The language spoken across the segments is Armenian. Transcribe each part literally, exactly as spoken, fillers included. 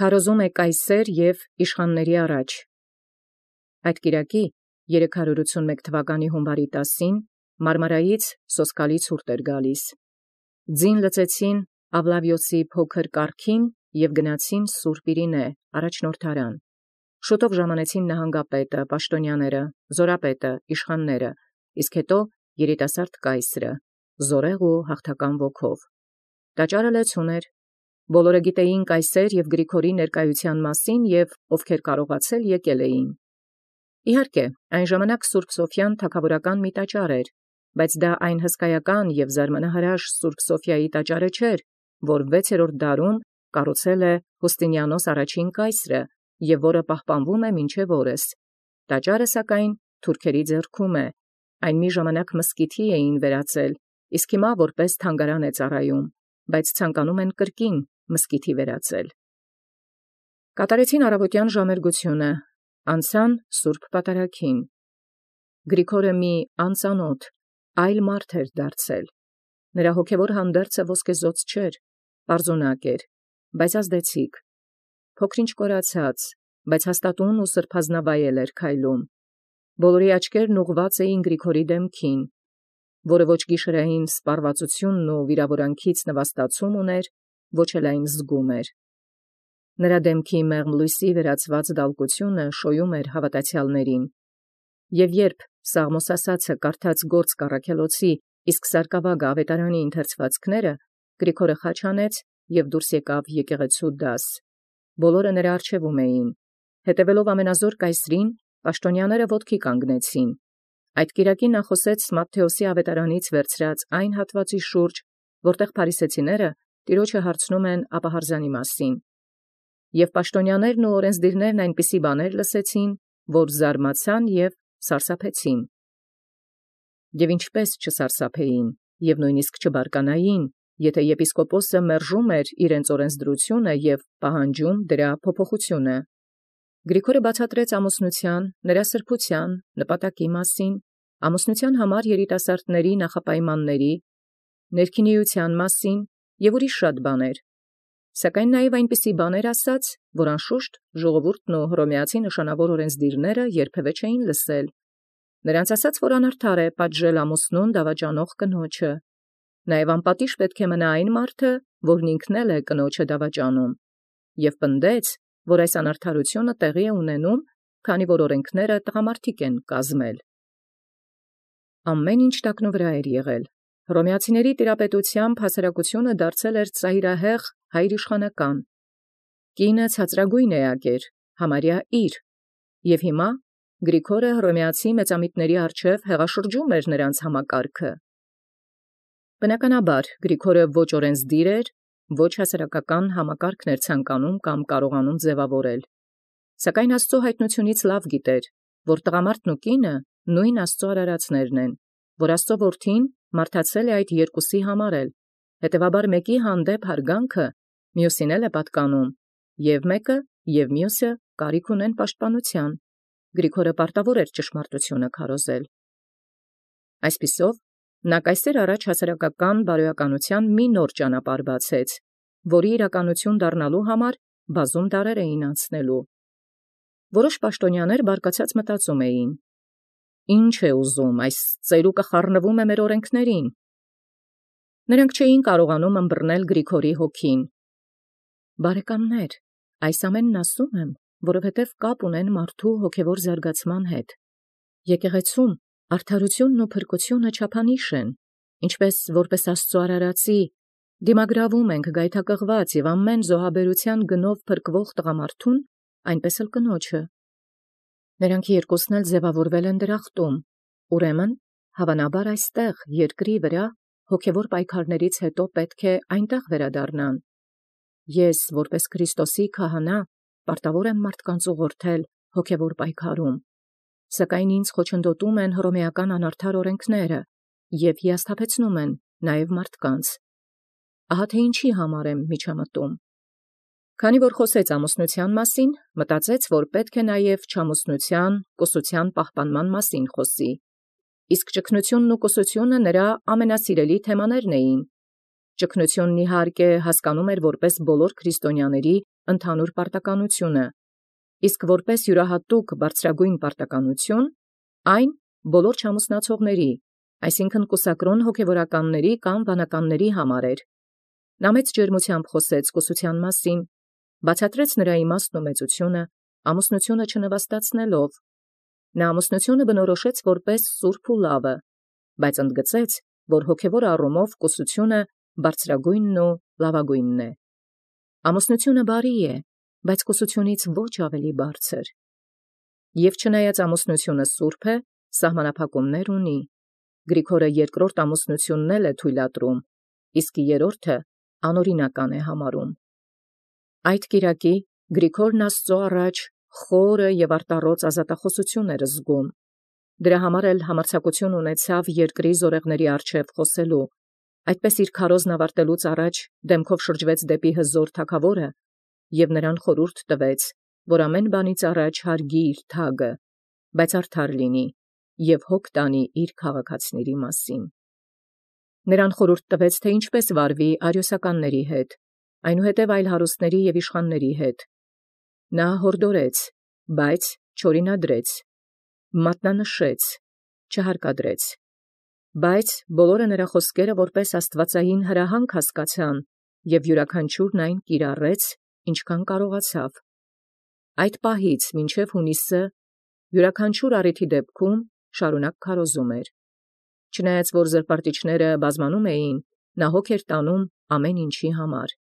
Քարոզում է կայսեր և իշխանների առաջ։ Այդ կիրակի երեք հարյուր ութսունմեկ թվականի հունվարի տասին Մարմարայից սոսկալի ցուրտ էր գալիս։ Ձին լծեցին Ավլավիոսի փոքր կառքին և գնացին Սուրբ Իրինե առաջնորդարան։ Շուտով ժամանեցին նահանգապետը, պաշտոնյաները, զորապետը, իշխանները, իսկ հետո երիտասարդ կայսրը, զորեղ ու հաղթական ոգով։ Տաճարը լեցուն էր։ Բոլորը գիտեին կայսեր և Գրիգորի ներկայության մասին և ովքեր կարողացել եկել էին։ Իհարկե, այն ժամանակ Սուրբ Սոֆիան թագավորական մի տաճար էր, բայց դա այն հսկայական և զարմանահրաշ Սուրբ Սոֆիայի տաճարը չէր, որ վեցերորդ դարում կառուցել է Հուստինիանոս առաջին կայսրը և որը պահպանվում է մինչև օրս։ Տաճարը, սակայն, թուրքերի ձեռքում է, այն մի ժամանակ մզկիթի էին վերածել, իսկ հիմա որպես թանգարան է ծառայում, բայց ցանկանում են կրկին մզկիթի վերածել։ Կատարեցին առավոտյան ժամերգությունը, անցան Սուրբ Պատարագին։ Գրիգորը մի անծանոթ, այլ մարդ էր դարձել։ Նրա հոգևոր հանդերձը ոսկեզօծ չէր, պարզունակ էր, բայց ազդեցիկ, փոքրինչ կորացած, բայց հաստատուն ու սրբազնավայել էր քայլում։ Բոլորի աչքերն ուղղված էին Գրիգորի դեմքին, որը ոչ գիշերային սպառվածությունն ու վիրավորանքից նվաստացում ուներ, ոչ էլ այն զգում էր։ Նրա դեմքի մեղմ լույսի վերածված դալկությունը շոյում էր հավատացյալներին։ Եվ երբ Սաղմոս ասացը կարդաց գործ կառաքելոցի, իսկ սարկավագը ավետարանի ընթերցվածքները, Գրիգորը խաչ անեց և դուրս եկավ եկեղեցու դաս։ Բոլորը նրա առջևում էին։ Հետևելով ամենազոր կայսրին, պաշտոնյաները ոտքի կանգնեցին։ Այդ կիրակի նա խոսեց Մատթեոսի ավետարանից վերցրած այն հատվածի շուրջ, որտեղ փարիսեցիները տիրոջը հարցնում են ապահարզանի մասին։ Եւ պաշտոնյաներն ու օրենսդիրներն այնպիսի բաներ լսեցին, որ զարմացան և սարսափեցին։ Եվ ինչպես չսարսափեին, և նույնիսկ չբարկանային, եթե եպիսկոպոսը մերժում էր իրենց օրենսդրությունը և պահանջում դրա փոփոխությունը։ Գրիգորը բացատրեց ամուսնության, նրա սրբության, նպատակի մասին, ամուսնության համար երիտասարդների նախապայմանների, ներքինիության մասին և ուրիշ շատ բաներ, սակայն նաև այնպիսի բաներ ասաց, որ անշուշտ ժողովուրդն ու հռոմեացի նշանավոր օրենսդիրները երբևէ չէին լսել։ Նրանց ասաց, որ անարդար է պատժել ամուսնուն դավաճանող կնոջը։ Նաև անպատիժ պետք է մնա այն մարդը, որն ինքն էլ է կնոջը դավաճանում, և պնդեց, որ այս անարդարությունը տեղի է ունենում, քանի որ օրենքները տղամարդիկ են կազմել։ Ամեն ինչ տակնու վրա էր եղել։ Հռոմեացիների տիրապետությամբ հասարակությունը դարձել էր ծայրահեղ հայրիշխանական։ Կինը ցածրագույն էակ էր, համարյա իր, և հիմա Գրիգորը հռոմեացի մեծամիտների առջև հեղաշրջում էր նրանց համակարգը։ Բնականաբար Գրիգորը ոչ օրենսդիր էր, ոչ հասարակական համակարգն էր ցանկանում կամ կարողանում ձևավորել։ Սակայն Աստծո հայտնությունից լավ գիտեր, որ տղամարդն ու կինը նույն Աստծո արարածներն են, որ Աստծո որդին մարդացել է այդ երկուսի համար էլ, հետևաբար մեկի հանդեպ հարգանքը մյուսին էլ է պատկանում, և մեկը և մյուսը կարիք ունեն պաշտպանության։ Գրիգորը պարտավոր էր ճշմարտությունը քարոզել։ Այսպիսով, նա կայսեր առաջ հասարակական բարոյականության մի նոր ճանապարհ բացեց, որի իրականություն դառնալու համար բազում դարեր էին անցնելու։ Որոշ պաշտոնյաներ բարկացած մտածում էին. «Ինչ է ուզում, այս ծերուկը խառնվում է մեր օրենքներին»։ Նրանք չէին կարողանում ըմբռնել Գրիգորի հոգին։ Բարեկամներ, այս ամենն ասում եմ, որովհետև կապ ունեն մարդու հոգևոր զարգացման հետ։ Եկեղեցում արդարությունն ու փրկությունը չափանիշ են, ինչպես որպես Աստծո արարածի դիմագրավում ենք գայթակղված և ամեն զոհաբերության գնով փրկվող տղամարդուն, այնպես էլ կնոջը։ Նրանք երկուսն էլ ձևավորվել են դրախտում, ուրեմն, հավանաբար այստեղ, երկրի վրա, հոգևոր պայքարներից հետո պետք է այնտեղ վերադառնան։ Ես, որպես Քրիստոսի քահանա, պարտավոր եմ մարդկանց ուղղորդել հոգևոր պայքարում, սակայն ինձ խոչընդոտում են հռոմեական անարդար օրենքները և հիասթափեցնում են նաև մարդկանց։ Ահա թե ինչի համար եմ միջամտում։ Քանի որ խոսեց ամուսնության մասին, մտածեց, որ պետք է նաև չամուսնության, կուսության պահպանման մասին խոսի, իսկ ճգնությունն ու կուսությունը նրա ամենասիրելի թեմաներն էին։ ճգնությունն իհարկե հասկանում էր որպես բոլոր քրիստոնյաների ընդհանուր պարտականությունը, իսկ որպես յուրահատուկ բարձրագույն պարտականություն այն բոլոր չամուսնացողների, այսինքն կուսակրոն հոգևորականների կամ վանականների համար էր։ Նա մեծ ջերմությամբ խոսեց կուսության մասին, բացատրեց նրա իմաստն ու մեծությունը, ամուսնությունը չնվաստացնելով։ Նա ամուսնությունը բնորոշեց որպես սուրբ ու լավը, բայց ընդգծեց, որ հոգևոր առումով կուսությունը բարձրագույնն ու լավագույնն է։ Ամուսնությունը բարի է, բայց կուսությունից ոչ ավելի բարձր։ Եվ չնայած ամուսնությունը սուրբ է, սահմանափակումներ ունի։ Գրիգորը երկրորդ ամուսնությունն էլ է թույլատրում, իսկ երրորդը անօրինական է համարում։ Այդ կիրակի Գրիգորն Աստծո առաջ խորը եւ արտառոց ազատախոսություն էր զգում։ Դրա համար էլ համարձակություն ունեցավ երկրի զորեղների առջև խոսելու, այդպես իր քարոզն ավարտելուց առաջ դեմքով շրջվեց դեպի հզոր թագավորը եւ նրան խորհուրդ տվեց, որ ամեն բանից առաջ հարգի իր թագը, բայց արդար լինի եւ հոգ տանի իր քաղաքացիների մասին։ Նրան խորհուրդ տվեց, թե ինչպես վարվի արիոսականների հետ, այնուհետև այլ հարուստների եւ իշխանների հետ։ Նա հորդորեց, բայց չօրինադրեց, մատնանշեց, չհարկադրեց։ Բայց բոլորը նրա խոսքերը որպես աստվածային հրահանգ հասկացան եւ յուրաքանչյուրն այն կիրառեց, ինչքան կարողացավ։ Այդ պահից մինչև հունիսը յուրաքանչյուր առիթի դեպքում շարունակ քարոզում էր։ Չնայած որ զրպարտիչները բազմանում էին, նա հոգ էր տանում ամեն ինչի համար։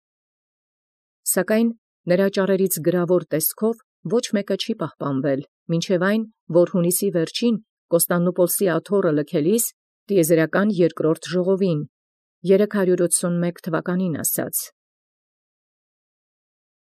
Սակայն նրա ճառերից գրավոր տեսքով ոչ մեկը չի պահպանվել, մինչև այն, որ հունիսի վերջին Կոստանդնուպոլսի աթոռը լքելիս տիեզերական երկրորդ ժողովին, երեք հարյուր ութսունմեկ թվականին ասած։